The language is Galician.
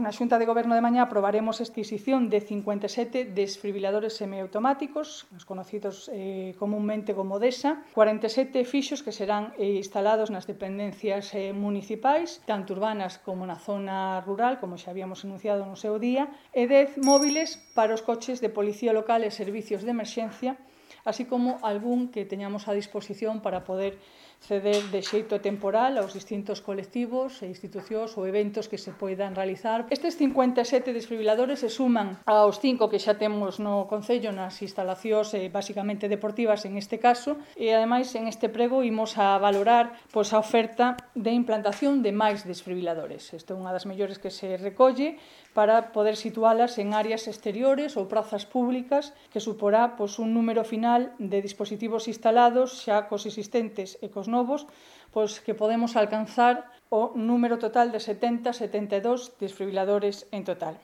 Na Xunta de Goberno de mañá aprobaremos a adquisición de 57 desfibriladores semiautomáticos, os conocidos comúnmente como DESA, 47 fixos que serán instalados nas dependencias municipais, tanto urbanas como na zona rural, como xa habíamos anunciado no seu día, e 10 móviles para os coches de policía local e servicios de emerxencia, así como algún que teñamos a disposición para poder ceder de xeito temporal aos distintos colectivos e institucións ou eventos que se poidan realizar. Estes 57 desfibriladores se suman aos 5 que xa temos no Concello nas instalacións basicamente deportivas en este caso, e ademais en este prego imos a valorar a oferta de implantación de máis desfibriladores. Isto é unha das mellores que se recolle para poder situalas en áreas exteriores ou prazas públicas, que suporá un número final de dispositivos instalados xa cos existentes e cos novos, que podemos alcanzar o número total de 72 desfibriladores en total.